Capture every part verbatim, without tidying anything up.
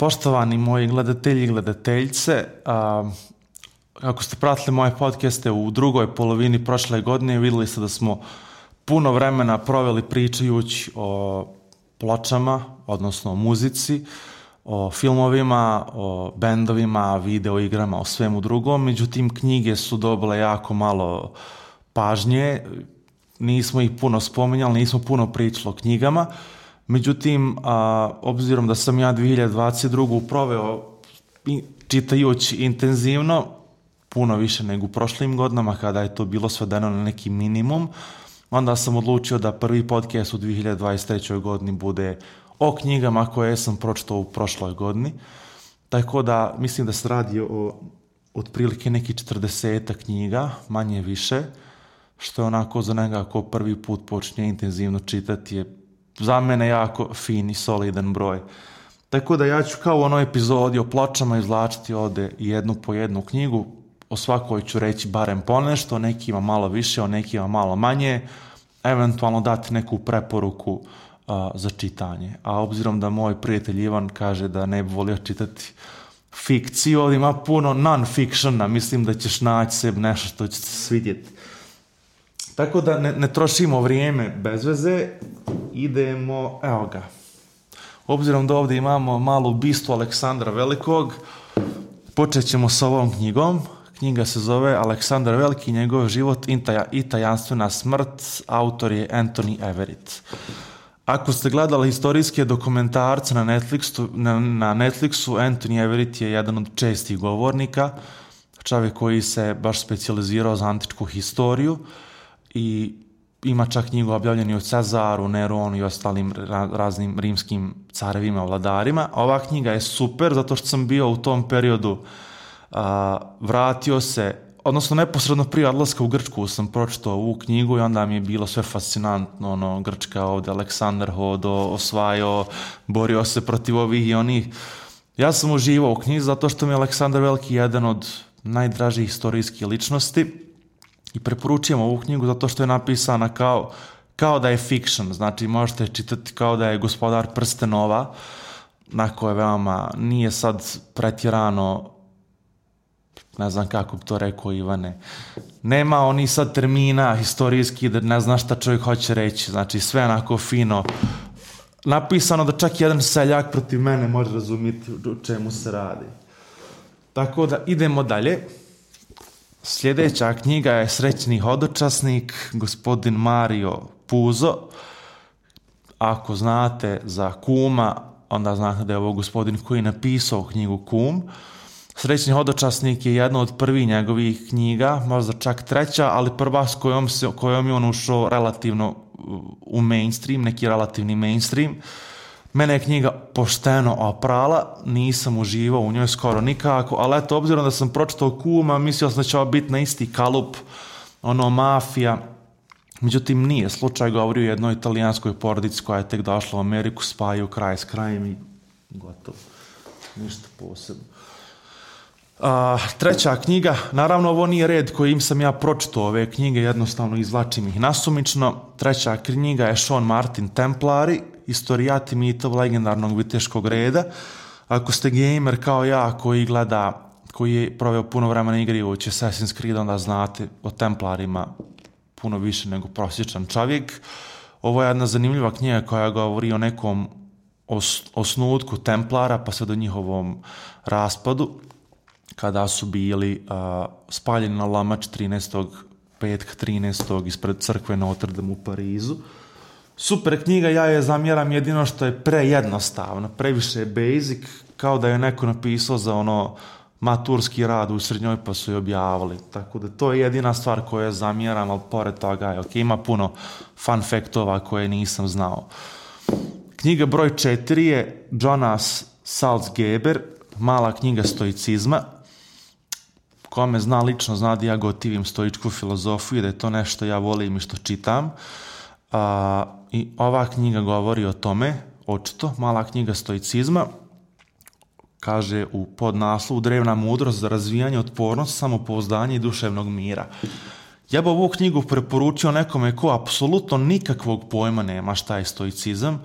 Poštovani moji gledatelji i gledateljice, a, ako ste pratili moje podcaste u drugoj polovini prošle godine, vidjeli ste da smo puno vremena proveli pričajući o pločama, odnosno o muzici, o filmovima, o bendovima, video igrama, o svemu drugom. Međutim, knjige su dobile jako malo pažnje, nismo ih puno spominjali, nismo puno pričali o knjigama. Međutim, a, obzirom da sam ja dvije hiljade dvadeset drugu proveo čitajući intenzivno, puno više nego u prošlim godinama kada je to bilo svedeno na neki minimum, onda sam odlučio da prvi podcast u dvije hiljade dvadeset trećoj godini bude o knjigama koje sam pročitao u prošloj godini. Tako da mislim da se radi o otprilike neki četrdesetak knjiga, manje više, što je onako za njega ko prvi put počne intenzivno čitati je za mene jako fin i solidan broj. Tako da ja ću kao u onoj epizodi o pločama izvlačiti ovdje jednu po jednu knjigu. O svakoj ću reći barem ponešto, o nekima malo više, o nekima malo manje, eventualno dati neku preporuku uh, za čitanje. A obzirom da moj prijatelj Ivan kaže da ne bi volio čitati fikciju, ovdje ima puno non-fictiona, mislim da ćeš naći sebi nešto što će se svidjeti. Tako da ne, ne trošimo vrijeme bez veze, idemo, evo ga. Obzirom da ovdje imamo malu bistu Aleksandra Velikog, počet ćemo s ovom knjigom. Knjiga se zove Aleksandar Veliki, njegov život i tajanstvena smrt, autor je Anthony Everett. Ako ste gledali historijske dokumentarce na Netflixu, na, na Netflixu, Anthony Everett je jedan od čestih govornika, čovjek koji se baš specijalizirao za antičku historiju i ima čak knjigu objavljenu o Cezaru, Neronu i ostalim raznim rimskim carevima, vladarima. Ova knjiga je super zato što sam bio u tom periodu, a, vratio se, odnosno neposredno prije odlaska u Grčku sam pročitao ovu knjigu i onda mi je bilo sve fascinantno, ono, Grčka ovdje, Aleksandar hodo, osvajao, borio se protiv ovih i onih. Ja sam uživao u knjizi zato što mi je Aleksandar Veliki jedan od najdražih historijskih ličnosti. I preporučujem ovu knjigu zato što je napisana kao, kao da je fiction, znači možete čitati kao da je Gospodar prstenova, na koje veoma nije sad pretjerano, ne znam kako bi to rekao Ivane, nema oni sad termina historijski da ne zna šta čovjek hoće reći, znači sve onako fino napisano da čak jedan seljak protiv mene može razumjeti o čemu se radi. Tako da idemo dalje. Sljedeća knjiga je Srećni hodočasnik, gospodin Mario Puzo. Ako znate za Kuma, onda znate da je ovo gospodin koji je napisao knjigu Kum. Srećni hodočasnik je jedna od prvih njegovih knjiga, možda čak treća, ali prva s kojom, se, kojom je on ušao relativno u mainstream, neki relativni mainstream. Mene je knjiga pošteno oprala, nisam uživao u njoj skoro nikako, ali eto, obzirom da sam pročitao Kuma, mislio sam da će ovo biti na isti kalup, ono, mafija. Međutim, nije. Slučaj govori o jednoj italijanskoj porodici koja je tek došla u Ameriku, spajaju kraj s krajem i gotovo. Ništa posebno. A, treća knjiga, naravno ovo nije red kojim sam ja pročitao ove knjige, jednostavno izvlačim ih nasumično. Treća knjiga je Sean Martin Templari, Istorijati mitov legendarnog viteškog reda. Ako ste gamer kao ja koji gleda, koji je proveo puno vremena igrajući Assassin's Creed, onda znate o Templarima puno više nego prosječan čovjek. Ovo je jedna zanimljiva knjiga koja govori o nekom os, osnutku Templara pa sve do njihovom raspadu, kada su bili uh, spaljeni na Lamač trinaestog petka trinaestog ispred crkve Notre Dame u Parizu. Super knjiga, ja je zamjeram jedino što je prejednostavno, previše je basic, kao da je neko napisao za ono maturski rad u srednjoj pa su je objavili. Tako da to je jedina stvar koju je zamjeram, ali pored toga je ok, ima puno fun faktova koje nisam znao. Knjiga broj četiri je Jonas Salzgeber, Mala knjiga stoicizma. Ko me zna lično zna da ja gotivim stoičku filozofiju i da je to nešto ja volim i što čitam. A, i ova knjiga govori o tome, očito, Mala knjiga stoicizma, kaže u podnaslovu Drevna mudrost za razvijanje otpornosti, samopouzdanja i duševnog mira. Ja bi ovu knjigu preporučio nekome ko apsolutno nikakvog pojma nema šta je stoicizam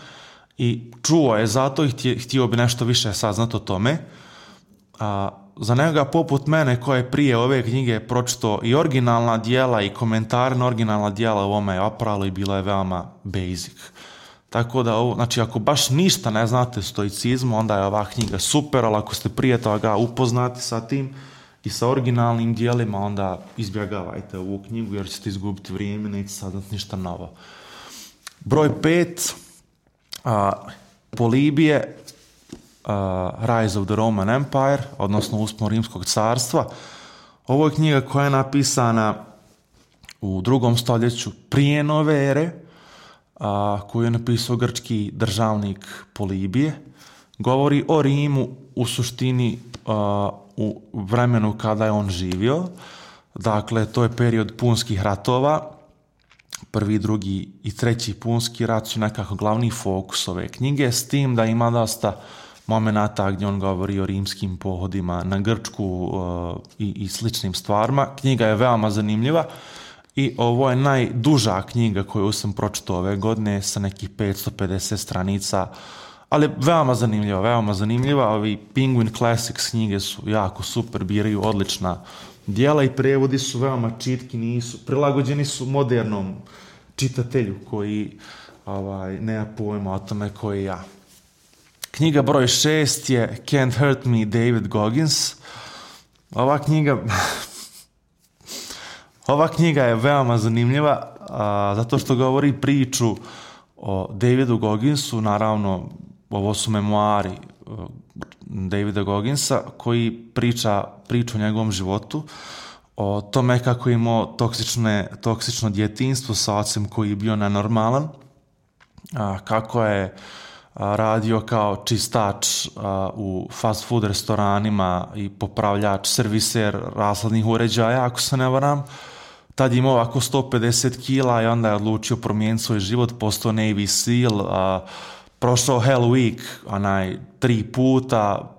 i čuo je zato i htio, htio bi nešto više saznati o tome. A, za nekoga poput mene koji je prije ove knjige pročito i originalna dijela i komentare na originalna dijela u ovome je opralo i bilo je veoma basic. Tako da, ovo, znači ako baš ništa ne znate stoicizmu, onda je ova knjiga super, ali ako ste prije toga upoznati sa tim i sa originalnim dijelima, onda izbjegavajte ovu knjigu jer ćete izgubiti vrijeme, neće saznati ništa novo. Broj pet, a, Polibije, Uh, Rise of the Roman Empire, odnosno Uspon Rimskog carstva. Ovo je knjiga koja je napisana u drugom stoljeću prije nove ere, uh, koju je napisao grčki državnik Polibije. Govori o Rimu u suštini uh, u vremenu kada je on živio. Dakle, to je period punskih ratova. Prvi, drugi i treći punski rat su nekako glavni fokus ove knjige, s tim da ima dosta momenata gdje on govori o rimskim pohodima na Grčku uh, i, i sličnim stvarima. Knjiga je veoma zanimljiva i ovo je najduža knjiga koju sam pročitao ove godine sa nekih petsto pedeset stranica, ali veoma zanimljiva, veoma zanimljiva. Ovi Penguin Classics knjige su jako super, biraju odlična dijela i prevodi su veoma čitki, nisu, prilagođeni su modernom čitatelju koji ovaj, nema pojma o tome koji ja. Knjiga broj šest je Can't Hurt Me, David Goggins. Ova knjiga ova knjiga je veoma zanimljiva a, zato što govori priču o Davidu Gogginsu. Naravno, ovo su memoari a, Davida Gogginsa koji priča priču o njegovom životu, o tome kako je imao toksične, toksično djetinjstvo sa ocem koji je bio nenormalan, a, kako je radio kao čistač a, u fast food restoranima i popravljač, serviser rashladnih uređaja, ako se ne varam. Tad je imao ovako sto pedeset kila i onda je odlučio promijeniti svoj život, postao Navy Seal, a, prošao Hell Week, onaj, tri puta,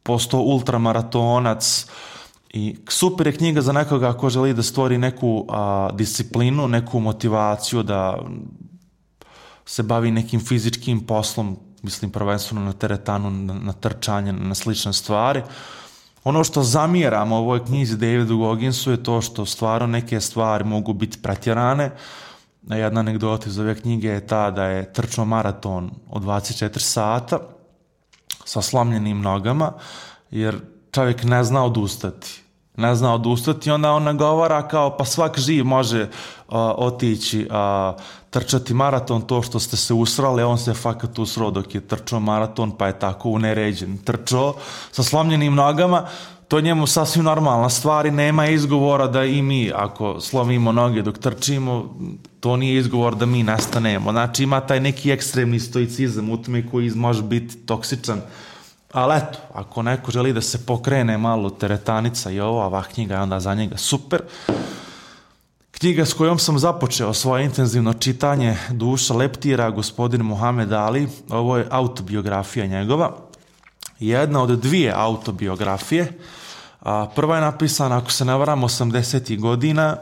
postao ultramaratonac. I super je knjiga za nekoga ko želi da stvori neku a, disciplinu, neku motivaciju da se bavi nekim fizičkim poslom, mislim prvenstveno na teretanu, na, na trčanje, na slične stvari. Ono što zamjeram u ovoj knjizi Davidu Gogginsu je to što stvarno neke stvari mogu biti pretjerane. Jedna anegdota iz ove knjige je ta da je trčao maraton od dvadeset četiri sata sa slomljenim nogama, jer čovjek ne zna odustati. Ne zna odustati i onda on nagovara kao pa svak živ može uh, otići uh, trčati maraton, to što ste se usrali, on se fakat usrao dok je trčao maraton, pa je tako uneređen trčao sa slomljenim nogama. To je njemu sasvim normalna stvar i nema izgovora da i mi, ako slomimo noge dok trčimo, to nije izgovor da mi nestanemo. Znači ima taj neki ekstremni stoicizam u tome koji može biti toksičan. Ali eto, ako neko želi da se pokrene malo teretanica i ovo, ova knjiga je onda za njega super. Knjiga s kojom sam započeo svoje intenzivno čitanje Duša leptira, gospodin Muhammed Ali, ovo je autobiografija njegova. Jedna od dvije autobiografije. Prva je napisana, ako se ne varam, osamdesetih godina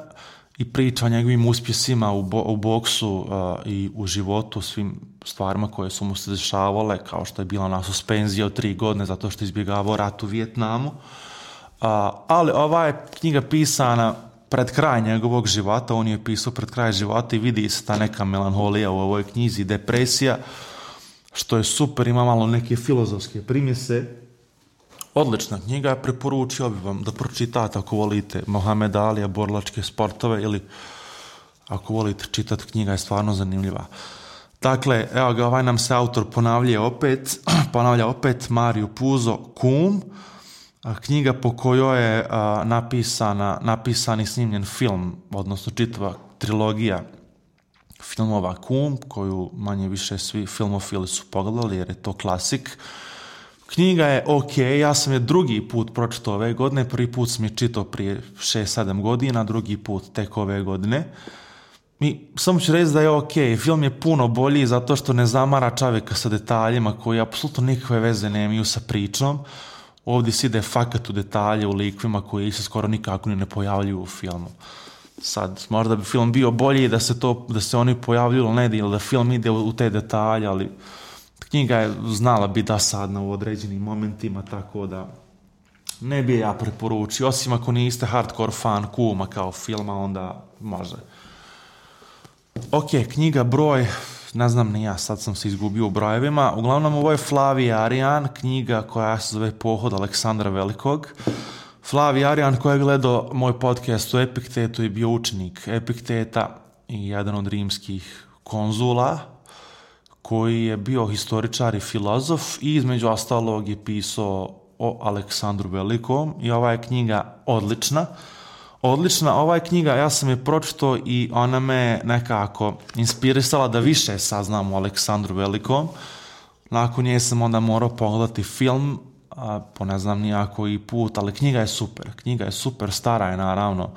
i priča o njegovim uspjesima u, bo, u boksu uh, i u životu, svim stvarima koje su mu se dešavale, kao što je bila na suspenzija od tri godine zato što je izbjegavao rat u Vijetnamu. Uh, ali ova je knjiga pisana pred kraj njegovog života, on je pisao pred kraj života i vidi se ta neka melanholija u ovoj knjizi, depresija, što je super, ima malo neke filozofske primjese. Odlična knjiga, preporučio bih vam da pročitate ako volite Mohamed Alija, borilačke sportove, ili ako volite čitati, knjiga je stvarno zanimljiva. Dakle, evo ga, ovaj nam se autor ponavlja opet, ponavlja opet Mario Puzo, Kum, knjiga po kojoj je a, napisana, napisan i snimljen film, odnosno čitava trilogija filmova Kum, koju manje više svi filmofili su pogledali jer je to klasik. Knjiga je ok, ja sam je drugi put pročitao ove godine, prvi put sam je čitao prije šest sedam godina, drugi put tek ove godine. I samo ću reći da je ok, film je puno bolji zato što ne zamara čovjeka sa detaljima koji apsolutno nikakve veze nemaju sa pričom. Ovdje se ide fakat u detalje, u likvima koji se skoro nikako ni ne pojavljuju u filmu. Sad, možda bi film bio bolji da se, to, da se oni pojavljuju ili ne, ili da film ide u te detalje, ali knjiga je znala biti dosadna u određenim momentima, tako da ne bi ja preporučio, osim ako niste hardcore fan Kuma kao filma, onda može. Ok, knjiga broj, ne znam ni ja, sad sam se izgubio u brojevima. Uglavnom, ovo je Flavije Arijan, knjiga koja se zove Pohod Aleksandra Velikog. Flavije Arijan, koji je gledao moj podcast o Epiktetu i bio učenik Epikteta i jedan od rimskih konzula, koji je bio historičar i filozof i između ostalog je pisao o Aleksandru Velikom i ova je knjiga odlična. Odlična, ova je knjiga, ja sam je pročitao i ona me nekako inspirisala da više saznam o Aleksandru Velikom. Nakon nje sam onda morao pogledati film, a, po ne znam nijako i put, ali knjiga je super. Knjiga je super, stara je naravno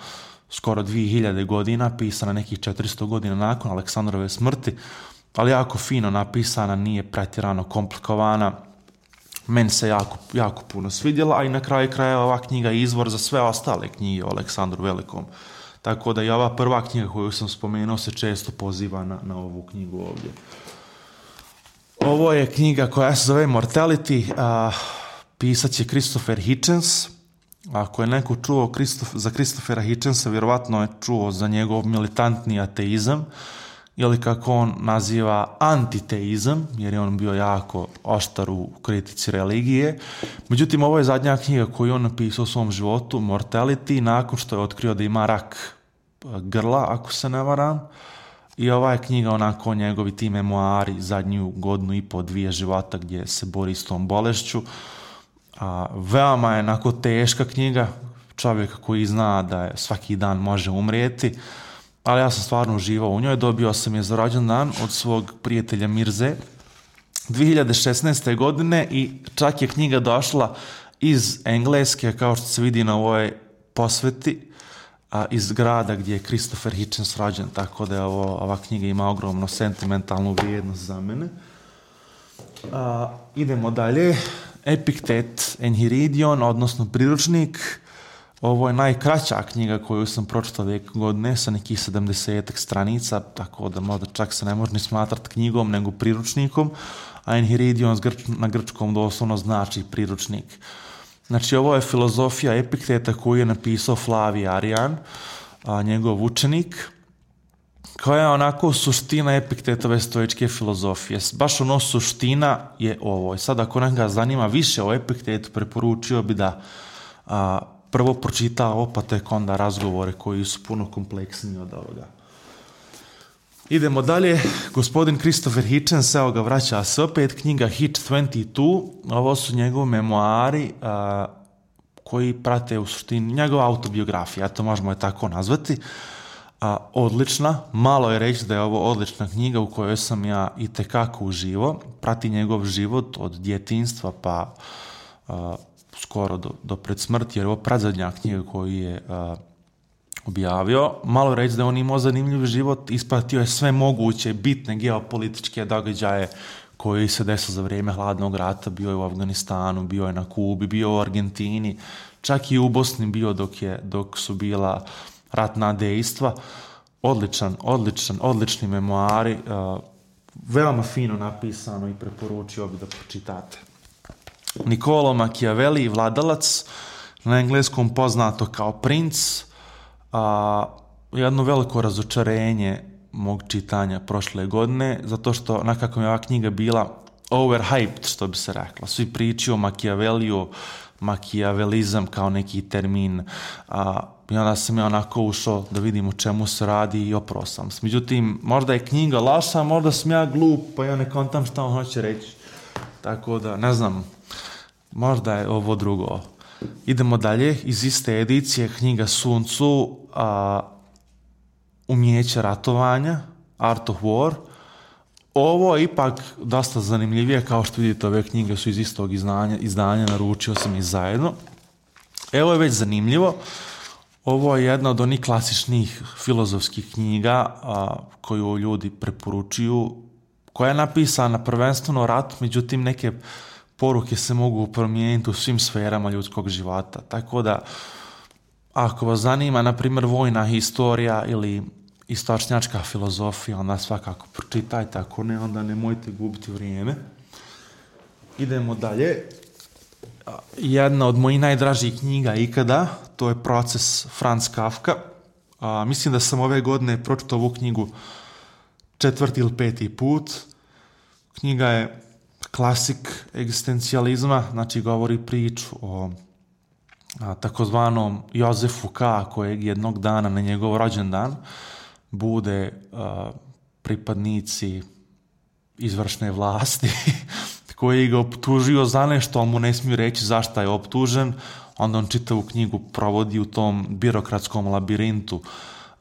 skoro dvije hiljade godina, pisana nekih četiristo godina nakon Aleksandrove smrti, ali jako fino napisana, nije pretjerano komplikovana. Meni se jako, jako puno svidjela, a i na kraju kraja ova knjiga je izvor za sve ostale knjige o Aleksandru Velikom. Tako da i ova prva knjiga koju sam spomenuo se često poziva na, na ovu knjigu ovdje. Ovo je knjiga koja se zove Mortality, a, pisat će Christopher Hitchens. Ako je neko čuo Christof, za Christophera Hitchensa, vjerovatno je čuo za njegov militantni ateizam, ili kako on naziva antiteizam, jer je on bio jako oštar u kritici religije. Međutim, ovo je zadnja knjiga koju on napisao u svom životu, Mortality, nakon što je otkrio da ima rak grla, ako se ne varam. I ova je knjiga onako njegovi ti memoari, zadnju godinu i po dvije života gdje se bori s tom bolešću. A, veoma je onako teška knjiga, čovjek koji zna da je svaki dan može umrijeti, ali ja sam stvarno uživao u njoj. Dobio sam je za rođendan od svog prijatelja Mirze dvije hiljade šesnaeste. godine i čak je knjiga došla iz Engleske, kao što se vidi na ovoj posveti, a, iz grada gdje je Christopher Hitchens rođen, tako da je ovo, ova knjiga ima ogromno sentimentalnu vrijednost za mene. A, idemo dalje. Epiktet Enhiridion, odnosno priručnik. Ovo je najkraća knjiga koju sam pročitao ove godine, sa nekih sedamdesetak stranica, tako da možda čak se ne može ni smatrati knjigom, nego priručnikom, a Enhiridion na grčkom doslovno znači priručnik. Znači, ovo je filozofija Epikteta koju je napisao Flavije Arijan, a, njegov učenik, koja je onako suština Epiktetove stoičke filozofije. Baš ono suština je ovo. I sad, ako nekoga zanima više o Epiktetu, preporučio bi da a, prvo pročita ovo, pa tek onda razgovore koji su puno kompleksniji od ovoga. Idemo dalje. Gospodin Christopher Hitchens, evo ga, vraća se opet, knjiga Hitch dvadeset dva. Ovo su njegovi memoari a, koji prate u suštini njegova autobiografija, to možemo je tako nazvati. A, odlična, malo je reći da je ovo odlična knjiga u kojoj sam ja i tekako uživao. Prati njegov život od djetinjstva pa a, skoro do, do pred smrti, jer je ovo predzadnja knjiga koju je a, objavio. Malo je reći da on imao zanimljiv život, ispratio je sve moguće bitne geopolitičke događaje koji se desilo za vrijeme hladnog rata, bio je u Afganistanu, bio je na Kubi, bio u Argentini, čak i u Bosni bio dok, je, dok su bila ratna dejstva. Odličan, odličan, odlični memoari, uh, veoma fino napisano i preporučio bi da pročitate. Niccolo Machiavelli, Vladalac, na engleskom poznato kao Princ, a, jedno veliko razočarenje mog čitanja prošle godine, zato što nekako mi je ova knjiga bila overhyped, što bi se reklo. Svi pričaju o Machiavelliju, makijavelizam kao neki termin, a, i onda sam ja onako ušao da vidim o čemu se radi i oprao sam. Međutim, možda je knjiga loša, možda sam ja glup, pa ja ne kontam šta on hoće reći. Tako da, ne znam, možda je ovo drugo. Idemo dalje, iz iste edicije knjiga Sun Tzu, a, Umjeće ratovanja, Art of War. Ovo je ipak dosta zanimljivije, kao što vidite, ove knjige su iz istog izdanja, izdanja, naručio sam ih zajedno. Evo je već zanimljivo. Ovo je jedna od onih klasičnih filozofskih knjiga a, koju ljudi preporučuju, koja je napisana prvenstveno o ratu, međutim neke poruke se mogu promijeniti u svim sferama ljudskog života. Tako da, ako vas zanima, na primjer, vojna historija ili istočnjačka filozofija, onda svakako pročitajte, ako ne, onda nemojte gubiti vrijeme. idemo dalje. Jedna od mojih najdražih knjiga ikada, to je Proces Franz Kafka. A, mislim da sam ove godine pročitao ovu knjigu četvrti ili peti put. Knjiga je klasik egzistencijalizma, znači govori priču o a, takozvanom Jozefu K. kojeg jednog dana na njegov rođendan bude a, pripadnici izvršne vlasti koji ga optužio za nešto, ali mu ne smiju reći zašto je optužen. Onda on čitavu knjigu provodi u tom birokratskom labirintu,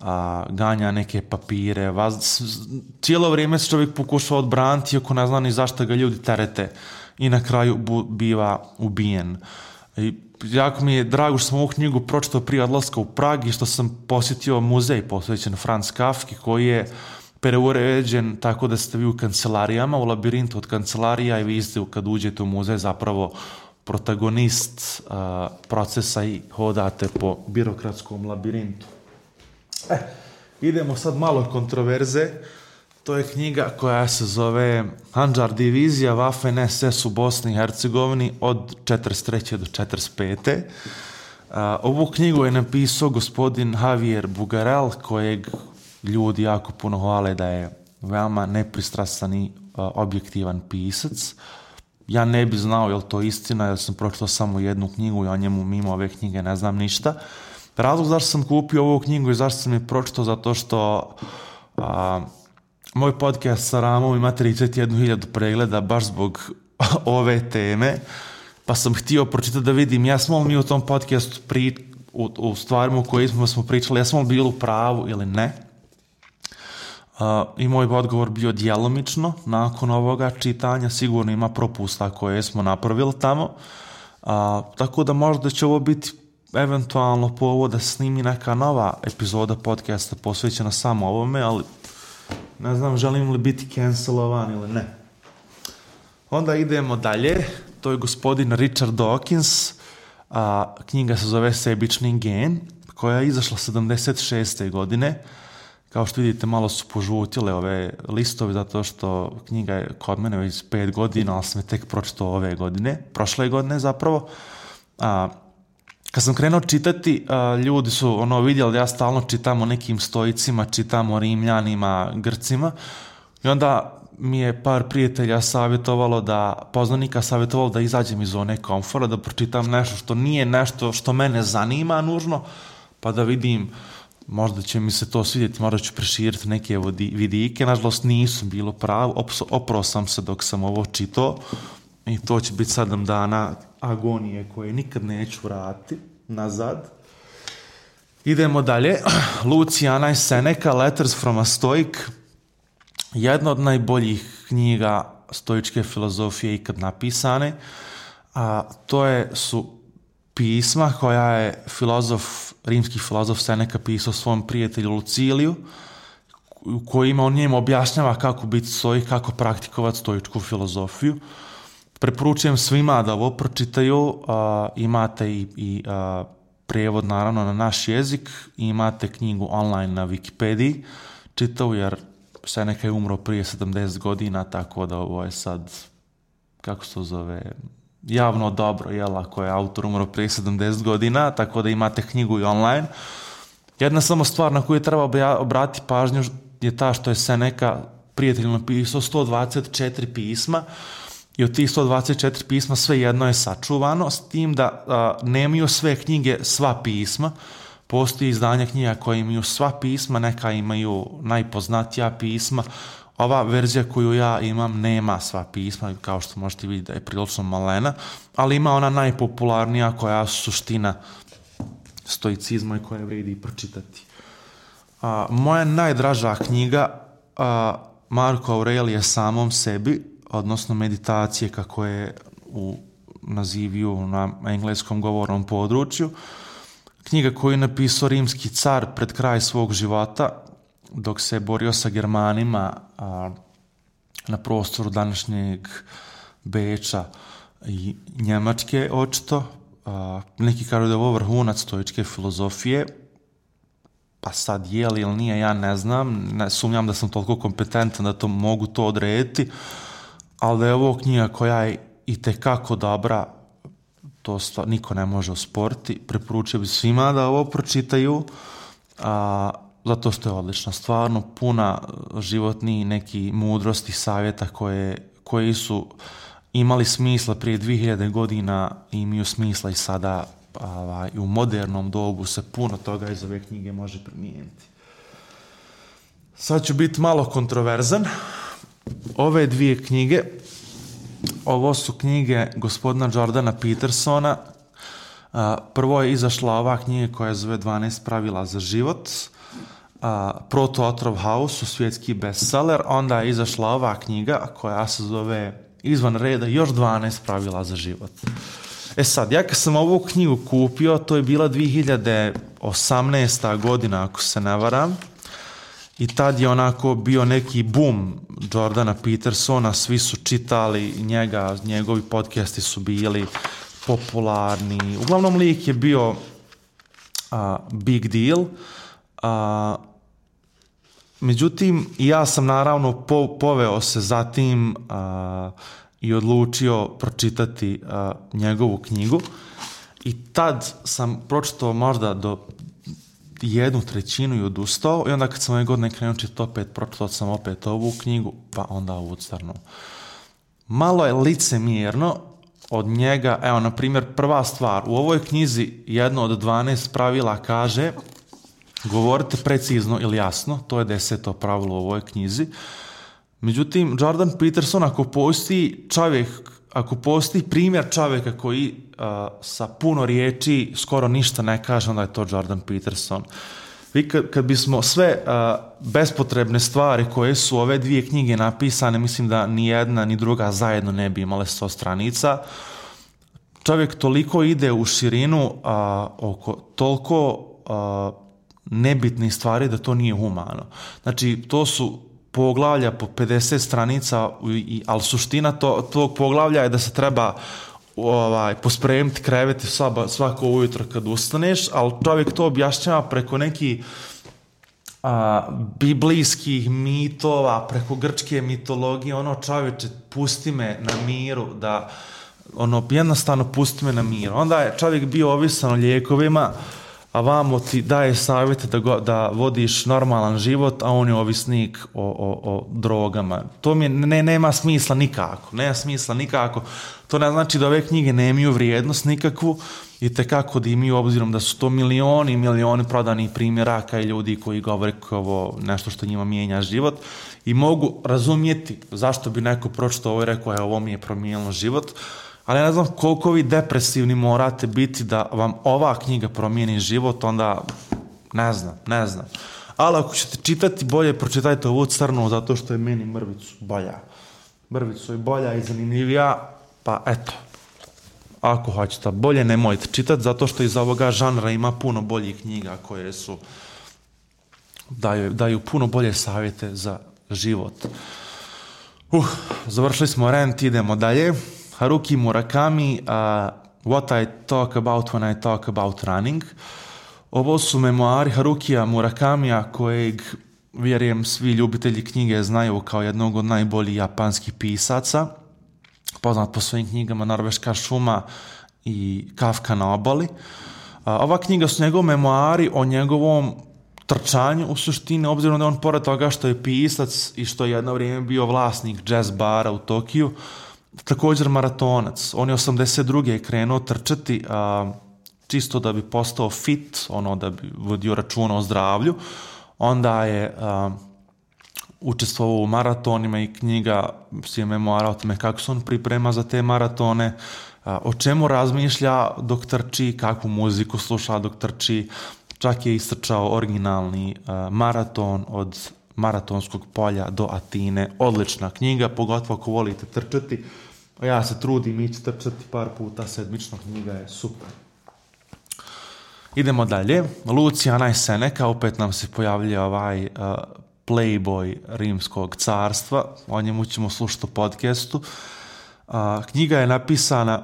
a, ganja neke papire. Vaz... Cijelo vrijeme se čovjek pokušao odbraniti, iako ne zna ni zašto ga ljudi terete. I na kraju bu, biva ubijen. I jako mi je drago što sam ovu knjigu pročitao prije odlaska u Prag i što sam posjetio muzej posvećen Franz Kafki, koji je preuređen tako da ste vi u kancelarijama, u labirintu od kancelarija i vi ste kad uđete u muzej zapravo protagonist uh, procesa i hodate po birokratskom labirintu. E, idemo sad malo kontroverze. To je knjiga koja se zove Handžar divizija Waffen es es u Bosni i Hercegovini od četrdeset treće do četrdeset pete Uh, ovu knjigu je napisao gospodin Javier Bugarel, kojeg ljudi jako puno hvale da je veoma nepristrasan i uh, objektivan pisac. Ja ne bi znao je li to istina, jer sam pročitao samo jednu knjigu i o njemu mimo ove knjige ne znam ništa. Razlog zašto sam kupio ovu knjigu i zašto sam je pročitao, zato što uh, moj podcast sa Ramom ima trideset jednu hiljadu pregleda baš zbog ove teme, pa sam htio pročitati da vidim jesmo li mi u tom podcastu pri, u, u stvarima u kojima smo pričali, jesmo li bili u pravu ili ne. Uh, I moj odgovor bio djelomično. Nakon ovoga čitanja sigurno ima propusta koje smo napravili tamo. Uh, tako da možda će ovo biti eventualno povod da snimi neka nova epizoda podcasta posvećena samo ovome, ali ne znam želim li biti cancelovan ili ne. Onda idemo dalje. To je gospodin Richard Dawkins. Uh, knjiga se zove Sebični gen, koja je izašla sedamdeset šeste godine. Kao što vidite, malo su požutile ove listovi, zato što knjiga je kod mene već pet godina, ali sam je tek pročitao ove godine, prošle godine zapravo. A, kad sam krenuo čitati, a, ljudi su ono vidjeli da ja stalno čitam o nekim stoicima, čitam o Rimljanima, Grcima, i onda mi je par prijatelja savjetovalo da, poznanika savjetovalo da izađem iz zone komfora, da pročitam nešto što nije nešto što mene zanima nužno, pa da vidim, možda će mi se to svidjeti, možda ću preširiti neke vidike. Nažalost nisam bilo pravo, oprao sam se dok sam ovo čitao i to će biti sedam dana agonije koje nikad neću vratiti nazad. Idemo dalje. Luciana Seneca, Letters from a Stoic, jedna od najboljih knjiga stoičke filozofije ikad napisane. A to je, su pisma koja je filozof, rimski filozof Seneca pisao svom prijatelju Luciliju, u kojima on njemu objašnjava kako biti stoik, kako praktikovati stoičku filozofiju. Preporučujem svima da ovo pročitaju, a, imate i, i a, prijevod naravno na naš jezik, imate knjigu online na Wikipediji, čitao jer Seneca je umro prije sedamdeset godina, tako da ovo je sad, kako se to zove, javno dobro, jel, ako je autor umro prije sedamdeset godina, tako da imate knjigu i online. Jedna samo stvar na koju treba obratiti pažnju je ta što je Seneca prijatelju napisao sto dvadeset četiri pisma i od tih sto dvadeset četiri pisma sve jedno je sačuvano, s tim da a, nemaju sve knjige sva pisma. Postoji izdanja knjiga koje imaju sva pisma, neka imaju najpoznatija pisma. Ova verzija koju ja imam nema sva pisma, kao što možete vidjeti da je prilično malena, ali ima ona najpopularnija koja je suština stoicizma i koja vredi pročitati. A, moja najdraža knjiga, a, Marko Aurelije samom sebi, odnosno meditacije kako je u naziviju na engleskom govornom području, knjiga koju je napisao rimski car pred kraj svog života, dok se borio sa Germanima a, na prostoru današnjeg Beča i Njemačke, očito. A, neki kažu da je ovo vrhunac stoičke filozofije, pa sad je li ili nije, ja ne znam, ne sumnjam da sam toliko kompetentan da to mogu to odrediti, ali da je ovo knjiga koja je itekako dobra, to stvar, niko ne može osporiti. Preporučio bi svima da ovo pročitaju, a, zato što je odlična. Stvarno puna životnih neki mudrosti, savjeta koje, koji su imali smisla prije dvije hiljade godina i imaju smisla i sada, a, i u modernom dobu se puno toga iz ove knjige može primijeniti. Sad ću biti malo kontroverzan. Ove dvije knjige, ovo su knjige gospodina Jordana Petersona. Prvo je izašla ova knjiga koja zove dvanaest pravila za život, Proto otrov House, svjetski bestseller. Onda je izašla ova knjiga koja se zove izvan reda još dvanaest pravila za život. E sad, ja kad sam ovu knjigu kupio, to je bila dvije hiljade osamnaesta godina, ako se ne varam. I tad je onako bio neki boom Jordana Petersona, svi su čitali njega, njegovi podcasti su bili popularni. Uglavnom lik je bio uh, big deal. Uh, međutim, ja sam naravno po, poveo se za tim uh, i odlučio pročitati uh, njegovu knjigu. I tad sam pročitao možda do jednu trećinu i odustao, i onda kad sam ove godine krenuo čitati opet, pročitao sam opet ovu knjigu, pa onda ovu crnu. Malo je licemjerno od njega, evo, na primjer, prva stvar, u ovoj knjizi jedno od dvanaest pravila kaže govorite precizno ili jasno, to je deseto pravilo u ovoj knjizi. Međutim, Jordan Peterson, ako postoji čovjek, ako postoji primjer čovjeka koji uh, sa puno riječi skoro ništa ne kaže, onda je to Jordan Peterson. Vi kad, kad bismo sve uh, bespotrebne stvari koje su ove dvije knjige napisane, mislim da ni jedna ni druga zajedno ne bi imale sto stranica. Čovjek toliko ide u širinu uh, oko toliko uh, nebitnih stvari da to nije humano. Znači, to su poglavlja po pedeset stranica, ali suština to, tog poglavlja je da se treba ovaj, pospremiti kreveti svako ujutro kad ustaneš, ali čovjek to objašnjava preko nekih a, biblijskih mitova, preko grčke mitologije, ono, čovječe, pusti me na miru, da, ono, jednostavno pusti me na miru. Onda je čovjek bio ovisan o lijekovima, a vamo ti daje savjete da, go, da vodiš normalan život, a on je ovisnik o, o, o drogama. To mi ne, nema smisla nikako. Nema smisla nikako. To ne znači da ove knjige nemaju vrijednost nikakvu i tekako da imaju, obzirom da su to milioni i milioni prodanih primjeraka i ljudi koji govore kao ovo nešto što njima mijenja život. I mogu razumjeti zašto bi neko pročitao ovo i rekao, je, ovo mi je promijenilo život. Ali ne znam koliko vi depresivni morate biti da vam ova knjiga promijeni život, onda ne znam, ne znam. Ali ako ćete čitati, bolje pročitajte ovu crnu, zato što je meni mrvicu bolja. Mrvicu je bolja i zanimljivija, pa eto. Ako hoćete bolje, nemojte čitati, zato što iz ovoga žanra ima puno boljih knjiga koje su daju, daju puno bolje savjete za život. Uh, završili smo rant, idemo dalje. Haruki Murakami, uh, What I Talk About When I Talk About Running. Ovo su memoari Harukija Murakamija, kojeg, vjerujem, svi ljubitelji knjige znaju kao jednog od najboljih japanskih pisaca. Poznat po svojim knjigama Norveška šuma i Kafka na obali. Uh, ova knjiga su njegov memoari o njegovom trčanju, u suštini, obzirom da on, pored toga što je pisac i što je jedno vrijeme bio vlasnik jazz bara u Tokiju, također maratonac. On je osamdeset druge krenuo trčati, a, čisto da bi postao fit, ono, da bi vodio računa o zdravlju. Onda je a, učestvovao u maratonima i knjiga je memoara o tome kako se on priprema za te maratone, a, o čemu razmišlja dok trči, kakvu muziku sluša dok trči. Čak je istrčao originalni a, maraton od maratonskog polja do Atine. Odlična knjiga, pogotovo ako volite trčati. Ja se trudim ići trčati par puta sedmično, knjiga je super. Idemo dalje. Luciana i Seneca, opet nam se pojavlja ovaj uh, playboy rimskog carstva. O njemu ćemo slušati u podcastu. Uh, knjiga je napisana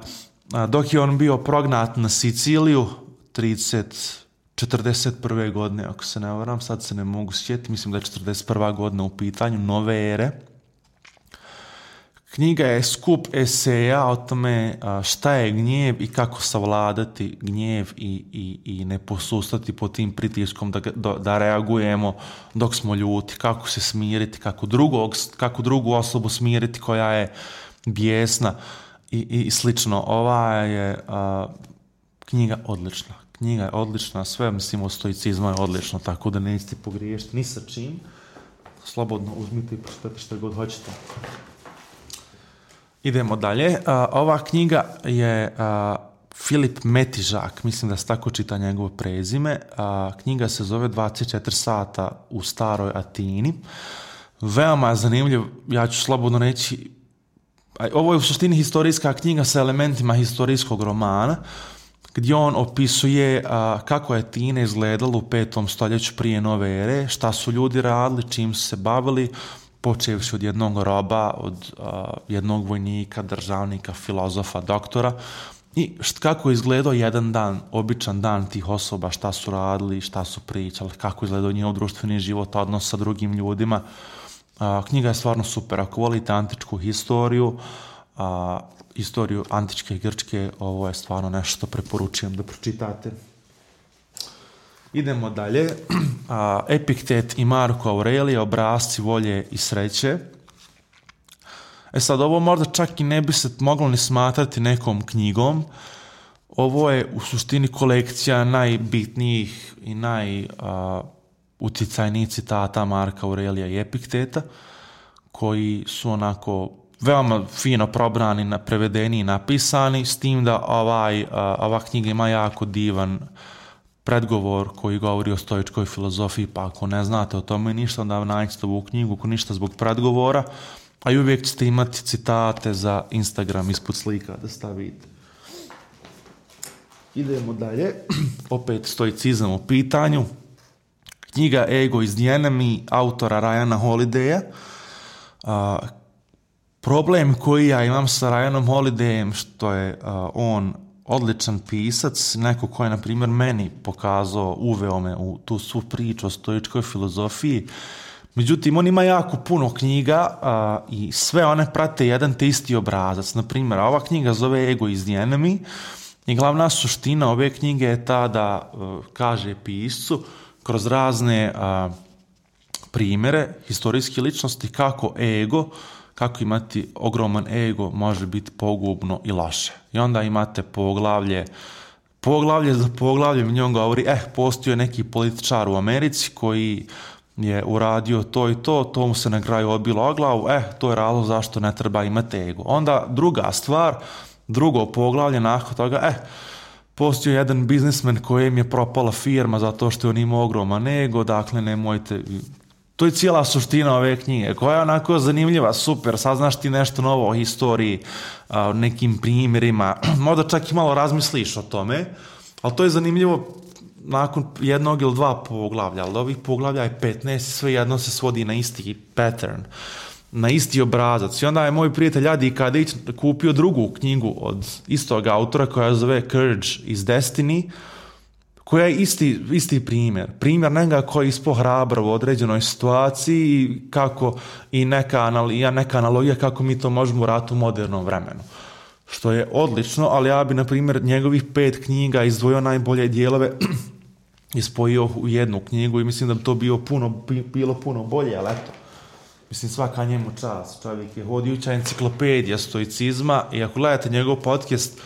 uh, dok je on bio prognat na Siciliju trideset četrdeset prve godine, ako se ne varam, sad se ne mogu sjetiti, mislim da je četrdeset prva godina u pitanju, nove ere. knjiga je skup eseja o tome šta je gnjev i kako savladati gnjev i, i, i ne posustati pod tim pritiskom da, da, da reagujemo dok smo ljuti, kako se smiriti, kako, drugog, kako drugu osobu smiriti koja je bijesna i, i slično. Ova je a, knjiga odlična. Knjiga je odlična, sve mislim o stoicizmu je odlično, tako da nećete pogriješiti ni sa čim. Slobodno uzmite i pročitajte što god hoćete. Idemo dalje. Uh, ova knjiga je uh, Filip Metižak, mislim da se tako čita njegovo prezime. Uh, knjiga se zove dvadeset četiri sata u staroj Atini. Veoma je zanimljiv, ja ću slobodno reći, ovo je u suštini historijska knjiga sa elementima historijskog romana, gdje on opisuje a, kako je Atina izgledala u petom stoljeću prije nove ere, šta su ljudi radili, čim su se bavili, počevši od jednog roba, od a, jednog vojnika, državnika, filozofa, doktora, i št, kako je izgledao jedan dan, običan dan tih osoba, šta su radili, šta su pričali, kako je izgledao njihov društveni život, odnos sa drugim ljudima. A, knjiga je stvarno super. Ako volite antičku historiju, a, istoriju antičke Grčke, ovo je stvarno nešto što preporučujem da pročitate. Idemo dalje. A, Epiktet i Marko Aurelije, Obrasci volje i sreće. E sad, ovo možda čak i ne bi se moglo ni smatrati nekom knjigom. Ovo je u suštini kolekcija najbitnijih i najutjecajnijih citata Marka Aurelija i Epikteta, koji su onako veoma fino probrani, prevedeni i napisani, s tim da ovaj, ova knjiga ima jako divan predgovor koji govori o stoičkoj filozofiji, pa ako ne znate o tome ništa, onda nađite ovu knjigu, ako ništa zbog predgovora, a i uvijek ćete imati citate za Instagram ispod slika da stavite. Idemo dalje, opet stoicizam u pitanju. Knjiga Ego is the Enemy, autora Ryana Holidaya. A, problem koji ja imam sa Ryanom Holidayem, što je a, on odličan pisac, neko ko je, na primjer, meni pokazao, uveo me u tu svu priču o stoičkoj filozofiji. Međutim, on ima jako puno knjiga a, i sve one prate jedan te isti obrazac. Na primjer, ova knjiga zove Ego is the Enemy i glavna suština ove knjige je ta da a, kaže piscu kroz razne a, primjere historijske ličnosti kako ego, kako imati ogroman ego može biti pogubno i loše. I onda imate poglavlje, poglavlje za poglavlje, u njom govori, eh, postoji neki političar u Americi koji je uradio to i to, to mu se na kraju odbilo o glavu, eh, to je razlog zašto ne treba imati ego. Onda druga stvar, drugo poglavlje, nakon toga, eh, postoji jedan biznismen kojem je propala firma zato što je on imao ogroman ego, dakle nemojte. To je cijela suština ove knjige, koja je onako zanimljiva, super, saznaš ti nešto novo o historiji, o nekim primjerima, možda čak i malo razmisliš o tome, ali to je zanimljivo nakon jednog ili dva poglavlja, ali ovih poglavlja je petnaest, sve jedno se svodi na isti pattern, na isti obrazac. I onda je moj prijatelj Adi Kadić kupio drugu knjigu od istog autora koja zove Courage is Destiny, koja je isti, isti primjer. Primjer njega koji je ispao hrabar u određenoj situaciji i, kako, i neka, analogija, neka analogija kako mi to možemo uraditi u modernom vremenu. Što je odlično, ali ja bi, na primjer, njegovih pet knjiga izdvojio najbolje dijelove i spojio u jednu knjigu i mislim da bi to bio puno, bilo puno bolje, ali eto. Mislim, svaka njemu čast. Čovjek je hodijuća enciklopedija stoicizma i ako gledate njegov podcast,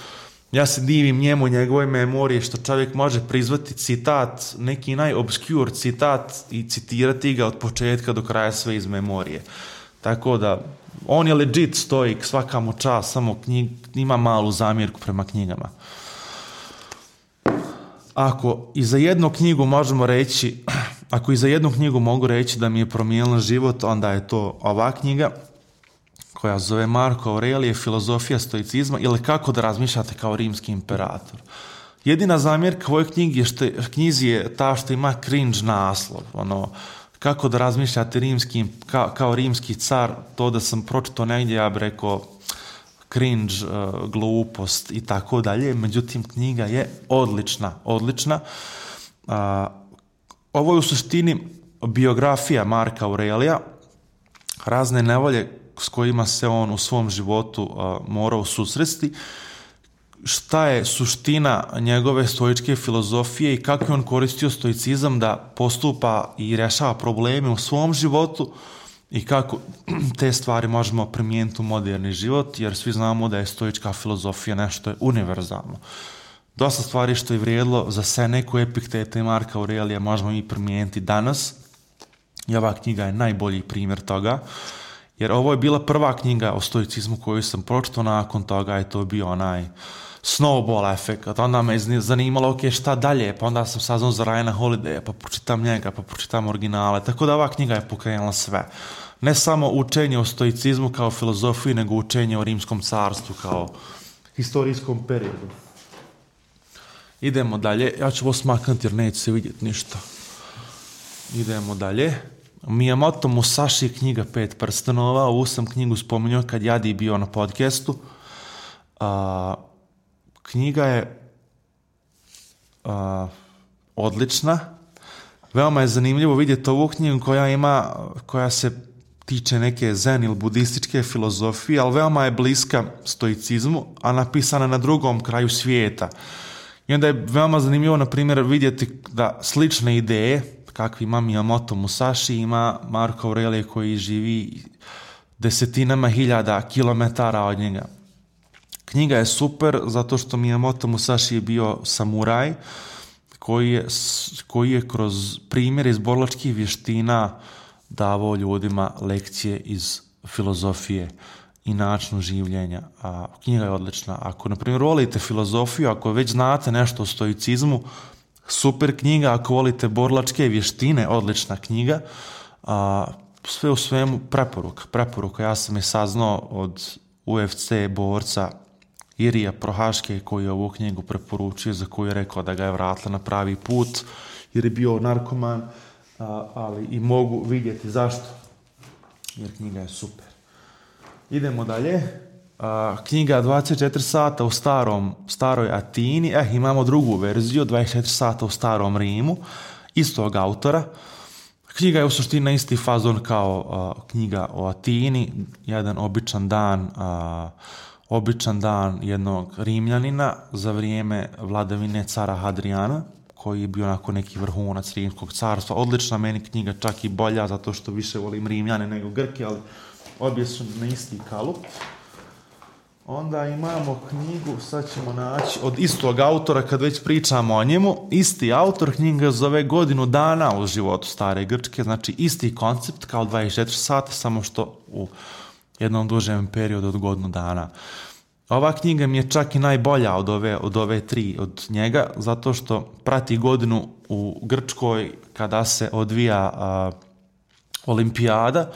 ja se divim njemu, njegove memorije, što čovjek može prizvati citat, neki najobscure citat i citirati ga od početka do kraja sve iz memorije. Tako da, on je legit stoik, svaka mu čast, samo knjig, ima malu zamjerku prema knjigama. Ako i za jednu knjigu možemo reći, ako i za jednu knjigu mogu reći da mi je promijenila život, onda je to ova knjiga, koja zove Marko Aurelije, Filozofija stoicizma, ili Kako da razmišljate kao rimski imperator. Jedina zamjerka ovoj knjigi je što, knjizi je ta što ima cringe naslov, ono, Kako da razmišljate rimski, ka, kao rimski car, to da sam pročito negdje, ja bih rekao cringe, uh, glupost i tako dalje, međutim knjiga je odlična, odlična. Uh, ovo je u suštini biografija Marka Aurelija, razne nevolje s kojima se on u svom životu uh, morao susresti, šta je suština njegove stoičke filozofije i kako je on koristio stoicizam da postupa i rješava probleme u svom životu i kako te stvari možemo primijeniti u moderni život, jer svi znamo da je stoička filozofija nešto je univerzalno. Dosta stvari što je vrijedilo za Seneku, Epikteta i Marka Aurelija možemo i primijeniti danas. I ova knjiga je najbolji primjer toga, jer ovo je bila prva knjiga o stoicizmu koju sam pročitao, nakon toga je to bio onaj snowball efekt. Onda me zanimalo, ok, šta dalje, pa onda sam saznao za Ryana Holidaya, pa pročitam njega, pa pročitam originale, tako da ova knjiga je pokrenula sve. Ne samo učenje o stoicizmu kao filozofiji, nego učenje o rimskom carstvu kao historijskom periodu. Idemo dalje, ja ću ovo smaknuti jer neće se vidjeti ništa. Idemo dalje. Miyamoto Musashi, knjiga Pet prstenova. Ovu sam knjigu spominjao kad Jadi bio na podcastu. A, knjiga je a, odlična. Veoma je zanimljivo vidjeti ovu knjigu koja ima, koja se tiče neke zen ili budističke filozofije, ali veoma je bliska stoicizmu, a napisana na drugom kraju svijeta. I onda je veoma zanimljivo, na primjer, vidjeti da slične ideje, kakvi ima Miyamoto Musashi, ima Marko Aurelije koji živi desetinama hiljada kilometara od njega. Knjiga je super zato što Miyamoto Musashi je bio samuraj koji je, koji je kroz primjer iz borilačkih vještina davao ljudima lekcije iz filozofije i načinu življenja. A knjiga je odlična. Ako, na primjer, volite filozofiju, ako već znate nešto o stoicizmu, super knjiga. Ako volite borilačke vještine, odlična knjiga. A, sve u svemu preporuka. Preporuka. Ja sam je saznao od U F C borca Irija Prohaške koji je ovu knjigu preporučio, za koju je rekao da ga je vratila na pravi put jer je bio narkoman, a, ali i mogu vidjeti zašto. Jer knjiga je super. Idemo dalje. A, knjiga dvadeset četiri sata u starom, staroj Atini. Eh, imamo drugu verziju, dvadeset četiri sata u starom Rimu, istog autora. Knjiga je u suštini na isti fazon kao a, knjiga o Atini, jedan običan dan, a, običan dan jednog Rimljanina za vrijeme vladavine cara Hadrijana, koji je bio onako neki vrhunac rimskog carstva. Odlična meni knjiga, čak i bolja, zato što više volim Rimljane nego Grke, ali obje su na isti kalup. Onda imamo knjigu, sad ćemo naći, od istog autora, kad već pričamo o njemu. Isti autor, knjiga zove Godinu dana u životu stare Grčke, znači isti koncept kao dvadeset četiri sata, samo što u jednom dužem periodu od godinu dana. Ova knjiga mi je čak i najbolja od ove, od ove tri od njega, zato što prati godinu u Grčkoj kada se odvija a, olimpijada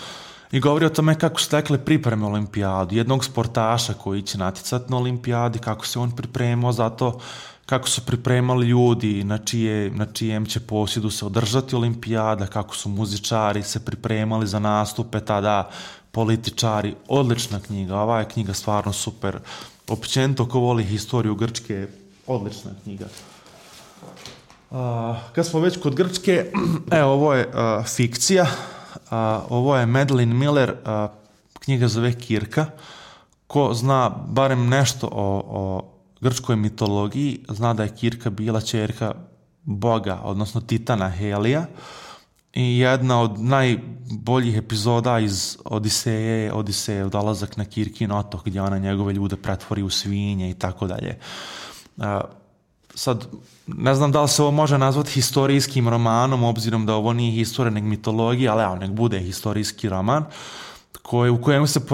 i govori o tome kako su tekle pripreme olimpijadu, jednog sportaša koji će natjecati na olimpijadi, kako se on pripremao za to, kako su pripremali ljudi na, čije, na čijem će posjedu se održati olimpijada, kako su muzičari se pripremali za nastupe tada, političari. Odlična knjiga, ova je knjiga stvarno super. Općenito ko voli historiju Grčke, odlična knjiga. Uh, kad smo već kod Grčke, evo ovo je uh, fikcija, uh, ovo je Madeline Miller, uh, knjiga zove Kirka. Ko zna barem nešto o, o grčkoj mitologiji, zna da je Kirka bila ćerka boga, odnosno titana Helija. I jedna od najboljih epizoda iz Odiseje je Odisejev dolazak na Kirkin otok, gdje ona njegove ljude pretvori u svinje i tako dalje. Sad, ne znam da li se ovo može nazvati historijskim romanom, obzirom da ovo nije historija nego mitologija, ali evo, nek bude historijski roman, koji, u kojem se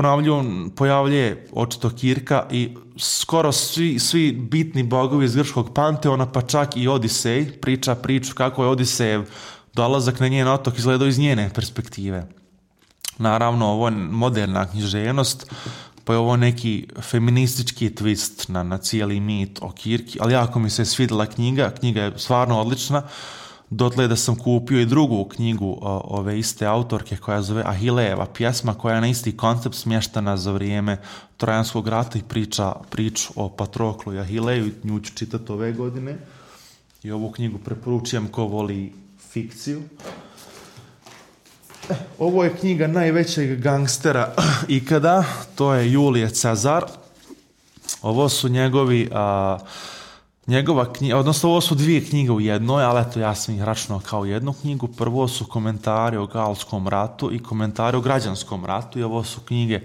pojavljuje očito Kirka i skoro svi, svi bitni bogovi iz grčkog panteona, pa čak i Odisej, priča priču kako je Odisejev dolazak na njen otok izgledao iz njene perspektive. Naravno, ovo je moderna književnost, pa je ovo neki feministički twist na, na cijeli mit o Kirki, ali jako mi se svidjela knjiga, knjiga je stvarno odlična, dotle da sam kupio i drugu knjigu o, ove iste autorke koja zove Ahilejeva pjesma, koja je na isti koncept smještana za vrijeme Trojanskog rata i priča priču o Patroklu i Ahileju, nju ću čitati ove godine i ovu knjigu preporučujem ko voli fikciju. Ovo je knjiga najvećeg gangstera ikada, to je Julije Cezar. Ovo su njegovi, a, njegova knjiga, odnosno ovo su dvije knjige u jednoj, ali eto ja sam ih računao kao jednu knjigu. Prvo su komentari o Galskom ratu i komentari o Građanskom ratu i ovo su knjige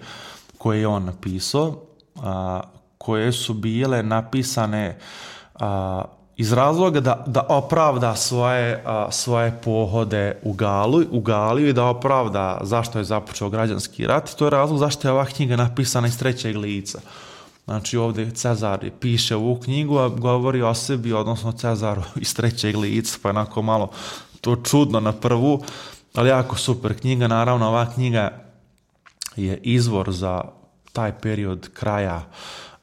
koje je on napisao, a, koje su bile napisane a, iz razloga da, da opravda svoje, a, svoje pohode u, Galu, u Galiju i da opravda zašto je započeo Građanski rat. To je razlog zašto je ova knjiga napisana iz trećeg lica. Znači ovdje Cezar piše ovu knjigu, a govori o sebi, odnosno Cezaru iz trećeg lica, pa je onako malo to čudno na prvu, ali jako super knjiga. Naravno, ova knjiga je izvor za taj period kraja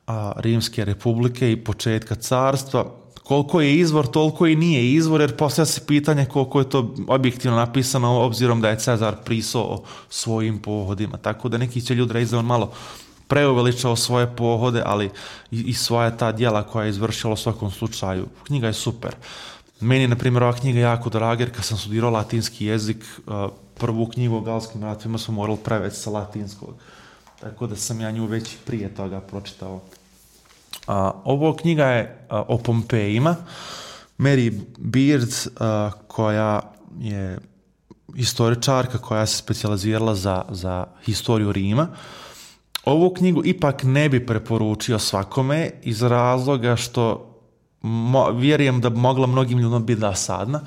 a, Rimske republike i početka carstva. Koliko je izvor, toliko i nije izvor, jer postavlja se pitanje koliko je to objektivno napisano, obzirom da je Cezar pisao svojim pohodima. Tako da neki će ljudi reći da on malo preuveličao svoje pohode, ali i, i svoja ta djela koja je izvršila u svakom slučaju. Knjiga je super. Meni je, na primjer, ova knjiga jako draga, jer kad sam studirao latinski jezik, prvu knjigu o Galskim ratovima smo morali prevesti sa latinskog. Tako da sam ja nju već prije toga pročitao. A, ovo knjiga je a, o Pompejima. Mary Beard, a, koja je historičarka koja se specijalizirala za, za historiju Rima. Ovu knjigu ipak ne bi preporučio svakome iz razloga što mo, vjerujem da bi mogla mnogim ljudima biti dosadna.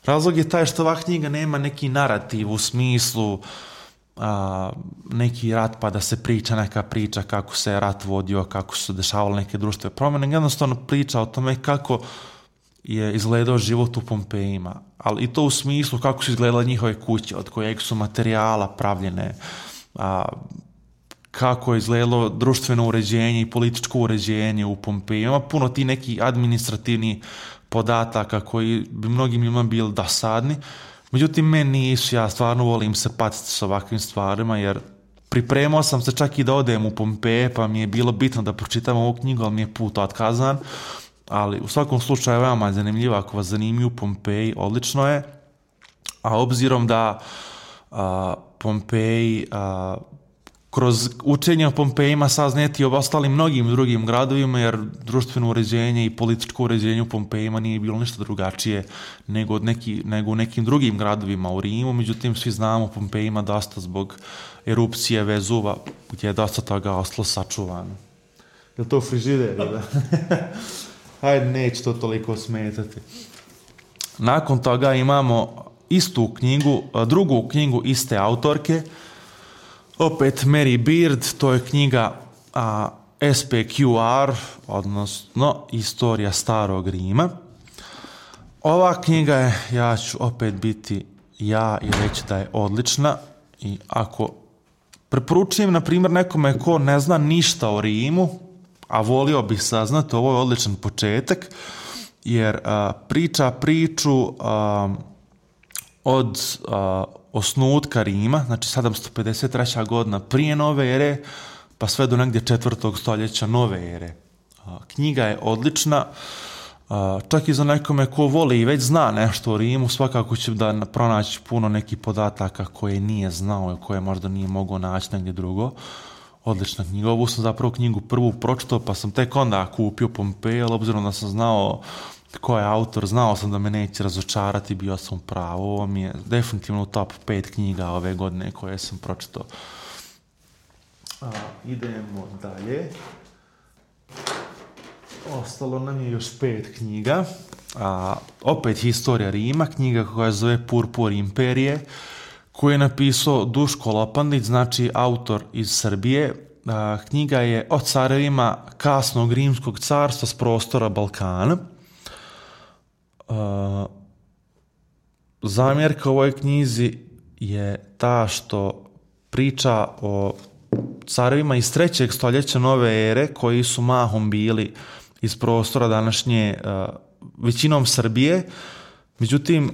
Razlog je taj što ova knjiga nema neki narativ u smislu a, neki rat pa da se priča neka priča kako se rat vodio, kako su se dešavale neke društvene promjene. Jednostavno priča o tome kako je izgledao život u Pompejima, ali i to u smislu kako su izgledale njihove kuće, od kojeg su materijala pravljene, a, kako je izgledalo društveno uređenje i političko uređenje u Pompeji. Ima puno ti neki administrativni podataka koji bi mnogim ljudima bili dosadni. Međutim, meni nisu, ja stvarno volim se patiti s ovakvim stvarima, jer pripremao sam se čak i da odem u Pompeje, pa mi je bilo bitno da pročitam ovu knjigu, ali mi je put otkazan. Ali u svakom slučaju veoma je zanimljivo, ako vas zanimljuju Pompeji, odlično je. A obzirom da a, Pompeji a, kroz učenje o Pompejima saznati i o ostalim mnogim drugim gradovima, jer društveno uređenje i političko uređenje u Pompejima nije bilo ništa drugačije nego, od neki, nego u nekim drugim gradovima u Rimu. Međutim, svi znamo o Pompejima dosta zbog erupcije Vezuva, gdje je dosta toga ostalo sačuvano. Je li to frižider? Da? Hajde, neće to toliko smetati. Nakon toga imamo istu knjigu, drugu knjigu iste autorke, opet Mary Beard, to je knjiga a, S P Q R, odnosno Istorija starog Rima. Ova knjiga je, ja ću opet biti ja i reći da je odlična, i ako preporučujem, na primjer, nekome ko ne zna ništa o Rimu, a volio bih saznati, ovo je odličan početak, jer a, priča priču a, od a, osnutka Rima, znači sedamsto pedeset treća godina prije nove ere, pa sve do negdje četvrtog stoljeća nove ere. A, knjiga je odlična, a, čak i za nekome ko voli i već zna nešto o Rimu, svakako će da pronaći puno nekih podataka koje nije znao i koje možda nije mogao naći negdje drugo. Odlična knjiga. Ovu sam zapravo knjigu prvu pročitao, pa sam tek onda kupio Pompeje, ali obzirom da sam znao ko je autor, znao sam da me neće razočarati, bio sam pravo. Ovo mi je definitivno u top pet knjiga ove godine koje sam pročitao. A, idemo dalje. Ostalo nam je još pet knjiga. A, opet Historija Rima, knjiga koja se zove Purpur imperije, koju je napisao Duško Lopandić, znači autor iz Srbije. A, knjiga je o carevima kasnog rimskog carstva s prostora Balkana. A, zamjerka u ovoj knjizi je ta što priča o carevima iz trećeg stoljeća nove ere, koji su mahom bili iz prostora današnje a, većinom Srbije. Međutim,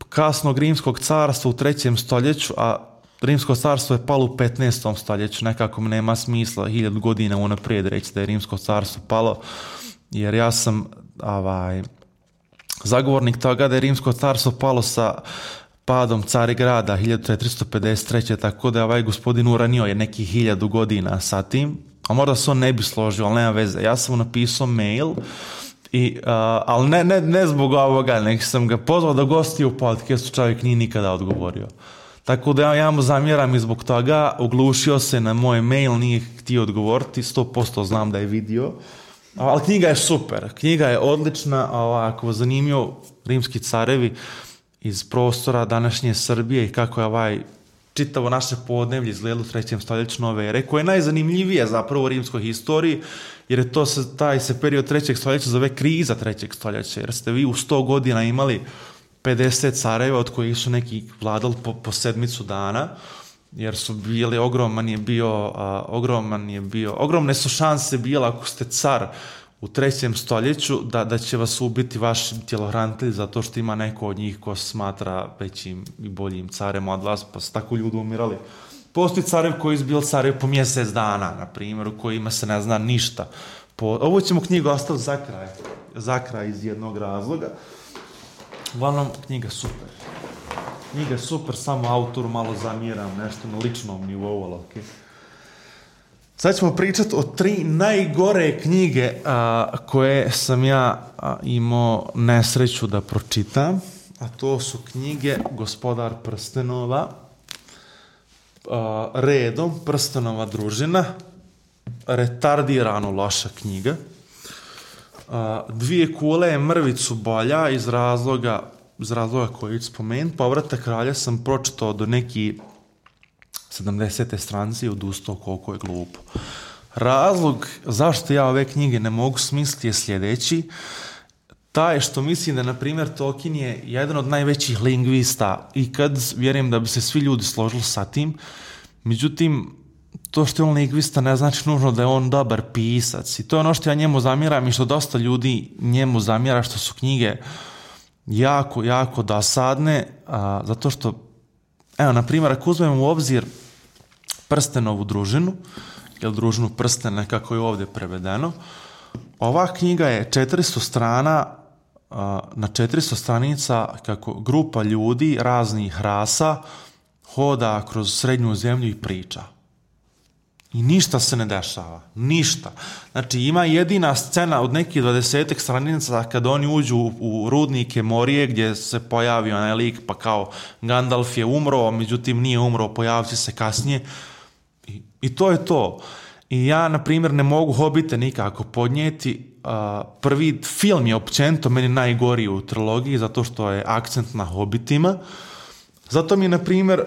kasnog rimskog carstva u trećem stoljeću, a rimsko carstvo je palo u petnaestom stoljeću, nekako mi nema smisla hiljadu godina unaprijed reći da je rimsko carstvo palo, jer ja sam ovaj, zagovornik toga da je rimsko carstvo palo sa padom Carigrada hiljadu četiristo pedeset treće tako da je ovaj gospodin uranio je neki hiljadu godina sa tim, a možda se on ne bi složio, ali nema veze. Ja sam mu napisao mail, i, uh, ali ne, ne, ne zbog ovoga, nek sam ga pozvao da gosti u podcastu, čovjek nije nikada odgovorio. Tako da ja, ja mu zamjeram i zbog toga, oglušio se na moj mail, nije htio odgovoriti, sto posto znam da je vidio. Ali knjiga je super, knjiga je odlična, ovako zanimljivo, rimski carevi iz prostora današnje Srbije i kako je ovaj čitavo naše podneblje izgledalo u trećem stoljeću nove ere, koje je najzanimljivije zapravo u rimskoj historiji, jer je to se, taj se period trećeg stoljeća zove kriza trećeg stoljeća, jer ste vi u sto godina imali pedeset careva od kojih su neki vladali po, po sedmicu dana, jer su bili, ogroman je bio, a, ogroman je bio, ogromne su šanse bile ako ste car u trećem stoljeću da, da će vas ubiti vaš tjelohranitelj zato što ima neko od njih ko smatra većim i boljim carem od vas, pa su tako ljudi umirali. Postoji carev koji su bili carev po mjesec dana, na primjer, u kojima se ne zna ništa. Po, ovo ćemo knjigu ostaviti za kraj, za kraj iz jednog razloga. Uglavnom, knjiga super. Knjiga super, samo autoru malo zamjeram, nešto na ličnom nivou, ali okej. Okay. Sad ćemo pričati o tri najgore knjige a, koje sam ja a, imao nesreću da pročitam, a to su knjige Gospodar prstenova, a, redom Prstenova družina, retardirano loša knjiga, a, Dvije kule je mrvicu bolja iz razloga, iz razloga koji ću spomenuti. Povratak kralja sam pročitao do neki sedamdesete stranice i odustao koliko je glupo. Razlog zašto ja ove knjige ne mogu smisliti je sljedeći. Taj što mislim da, na primjer, Tolkien je jedan od najvećih lingvista i kad vjerujem da bi se svi ljudi složili sa tim. Međutim, to što je on lingvista ne znači nužno da je on dobar pisac. I to je ono što ja njemu zamjeram i što dosta ljudi njemu zamjera, što su knjige jako, jako dosadne, a, zato što, evo, na primjer, ako uzmemo u obzir Prstenovu družinu, ili družinu prstena, kako je ovdje prevedeno, ova knjiga je četiristo strana, a, na četiristo stranica kako grupa ljudi raznih rasa hoda kroz srednju zemlju i priča. I ništa se ne dešava. Ništa. Znači, ima jedina scena od nekih dvadesetak stranica kada oni uđu u, u rudnike Morije, gdje se pojavi onaj lik, pa kao Gandalf je umro, međutim nije umro, pojavit će se kasnije. I, i to je to. I ja, na primjer, ne mogu Hobite nikako podnijeti. Uh, prvi film je općenito meni najgoriji u trilogiji, zato što je akcent na Hobitima. Zato mi je, na primjer,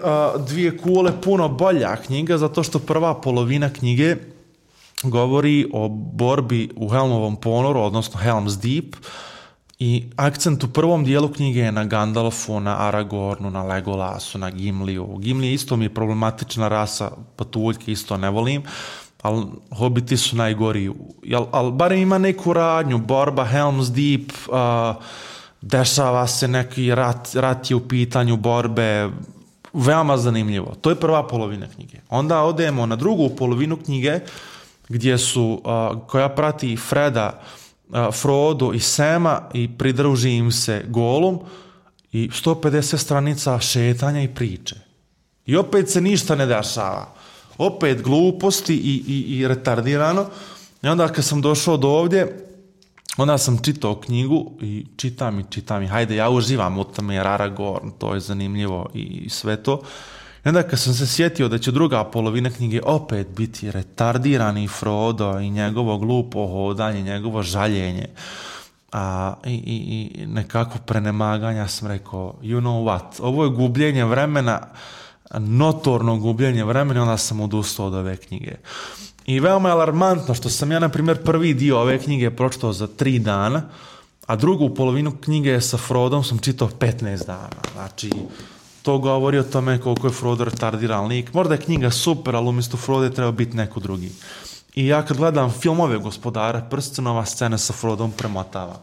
Dvije kule puno bolja knjiga, zato što prva polovina knjige govori o borbi u Helmovom ponoru, odnosno Helm's Deep, i akcent u prvom dijelu knjige je na Gandalfu, na Aragornu, na Legolasu, na Gimliju. Gimli isto mi je problematična rasa, patuljke isto ne volim, ali Hobiti su najgori. Ali barem ima neku radnju, borba Helm's Deep, uh, dešava se neki rat, rat je u pitanju borbe, veoma zanimljivo. To je prva polovina knjige. Onda odemo na drugu polovinu knjige, gdje su, uh, koja prati Freda, uh, Frodo i Sema i pridruži im se Golum i sto pedeset stranica šetanja i priče. I opet se ništa ne dešava. Opet gluposti i, i, i retardirano. I onda kad sam došao do ovdje, onda sam čitao knjigu i čitam i čitam i hajde, ja uživam u tome jer Aragorn, to je zanimljivo i sve to. I onda kad sam se sjetio da će druga polovina knjige opet biti retardirani Frodo i njegovo glupo hodanje, njegovo žaljenje a, i, i, i nekako prenemaganja, sam rekao, you know what, ovo je gubljenje vremena, notorno gubljenje vremena, onda sam odustao od ove knjige. I veoma je alarmantno što sam ja, na primjer, prvi dio ove knjige pročitao za tri dana, a drugu polovinu knjige sa Frodom sam čitao petnaest dana. Znači, to govori o tome koliko je Frodo retardiran lik. Možda je knjiga super, ali umjesto Frodo je trebao biti neko drugi. I ja kad gledam filmove Gospodara prstenova, scena sa Frodom premotava.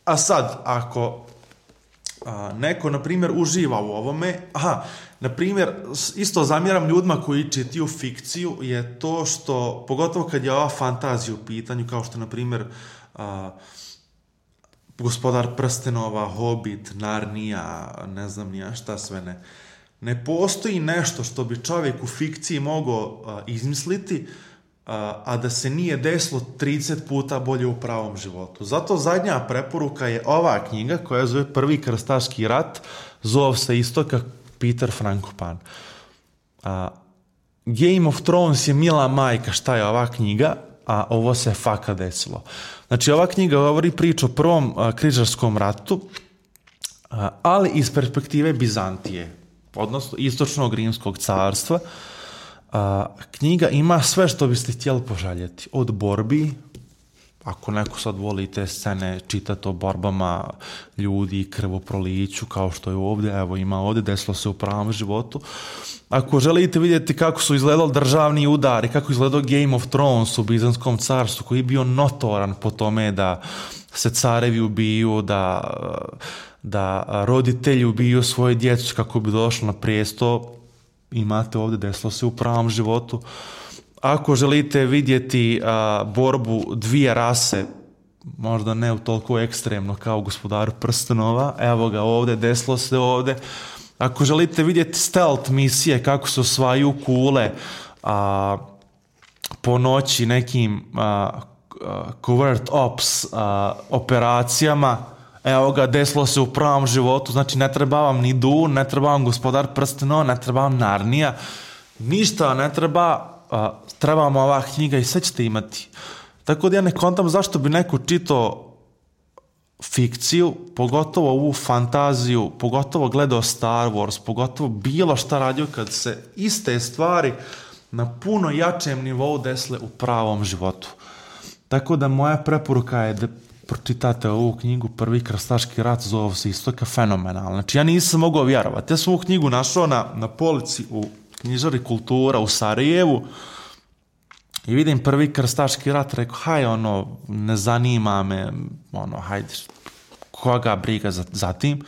A sad, ako a, neko, na primjer, uživa u ovome, aha, na primjer, isto zamjeram ljudima koji čitaju fikciju, je to što, pogotovo kad je ova fantazija u pitanju, kao što, na primjer, a, Gospodar prstenova, Hobbit, Narnija, ne znam nija šta sve ne. Ne postoji nešto što bi čovjek u fikciji mogao uh, izmisliti, uh, a da se nije desilo trideset puta bolje u pravom životu. Zato zadnja preporuka je ova knjiga koja zove Prvi krstaški rat, zove se isto kao Peter Frankopan. Uh, Game of Thrones je mila majka šta je ova knjiga, a ovo se faka desilo. Znači, ova knjiga govori priču o prvom uh, križarskom ratu, uh, ali iz perspektive Bizantije, odnosno istočnog rimskog carstva. Uh, knjiga ima sve što biste htjeli poželjeti. Od borbi, ako neko sad voli te scene čitati o borbama ljudi, krvoproliću, kao što je ovdje, evo ima ovdje, desilo se u pravom životu. Ako želite vidjeti kako su izgledali državni udari, kako izgledao Game of Thrones u Bizanskom carstvu, koji je bio notoran po tome da se carevi ubiju, da, da roditelji ubiju svoje djecu kako bi došlo na prijesto, imate ovdje, desilo se u pravom životu. Ako želite vidjeti a, borbu dvije rase, možda ne u toliko ekstremno kao u Gospodaru prstenova, evo ga ovdje, desilo se ovdje. Ako želite vidjeti stealth misije, kako se osvajaju kule a, po noći nekim a, a, covert ops a, operacijama, evo ga, desilo se u pravom životu. Znači, ne treba vam ni Dune, ne treba vam Gospodar prstenova, ne treba vam Narnija, ništa ne treba, a, treba vam ova knjiga i sve ćete imati. Tako da ja ne kontam zašto bi neko čitao fikciju, pogotovo ovu fantaziju, pogotovo gledao Star Wars, pogotovo bilo šta radio kad se iste stvari na puno jačem nivou desile u pravom životu. Tako da moja preporuka je da pročitate ovu knjigu Prvi krstaški rat, zove se isto kao fenomenalno. Znači, ja nisam mogao vjerovati. Ja sam ovu knjigu našao na, na polici u knjižari Kultura u Sarajevu i vidim Prvi krstaški rat, rekao, haj, ono, ne zanima me, ono, hajde, koga briga za, za tim,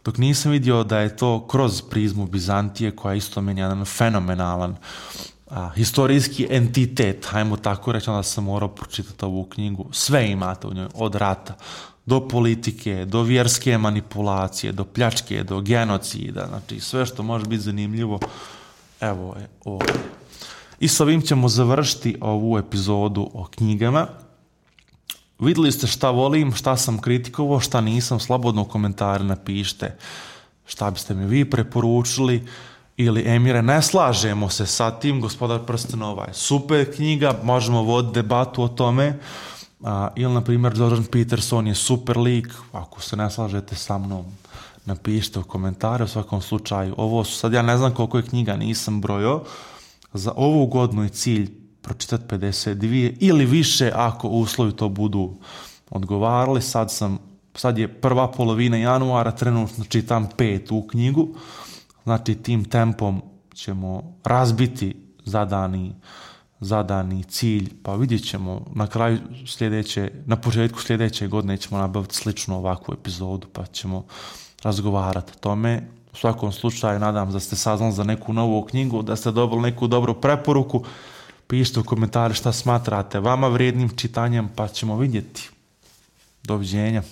dok nisam vidio da je to kroz prizmu Bizantije, koja je isto meni jedan fenomenalan a, historijski entitet, hajmo tako reći, onda sam morao pročitati ovu knjigu. Sve imate u njoj, od rata do politike, do vjerske manipulacije, do pljačke, do genocida, znači sve što može biti zanimljivo, evo je ovdje. I s ovim ćemo završiti ovu epizodu o knjigama. Vidjeli ste šta volim, šta sam kritikovao, šta nisam, slobodno u komentare napišite šta biste mi vi preporučili, ili Emire, ne slažemo se sa tim, Gospodar prstenova je super knjiga, možemo voditi debatu o tome, a, ili na primjer Jordan Peterson je super lik, ako se ne slažete sa mnom, napišite u komentare. U svakom slučaju, ovo su sad, ja ne znam koliko je knjiga, nisam brojao, za ovu godinu je cilj pročitati pedeset dvije ili više ako uslovi to budu odgovarali. Sad sam, sad je prva polovina januara, trenutno čitam petu knjigu, znači tim tempom ćemo razbiti zadani, zadani cilj, pa vidjet ćemo na kraju sljedeće, na početku sljedeće godine ćemo nabaviti sličnu ovakvu epizodu, pa ćemo razgovarati o tome. U svakom slučaju, nadam se da ste saznali za neku novu knjigu, da ste dobili neku dobru preporuku. Pišite u komentare šta smatrate vama vrijednim čitanjem, pa ćemo vidjeti. Doviđenja.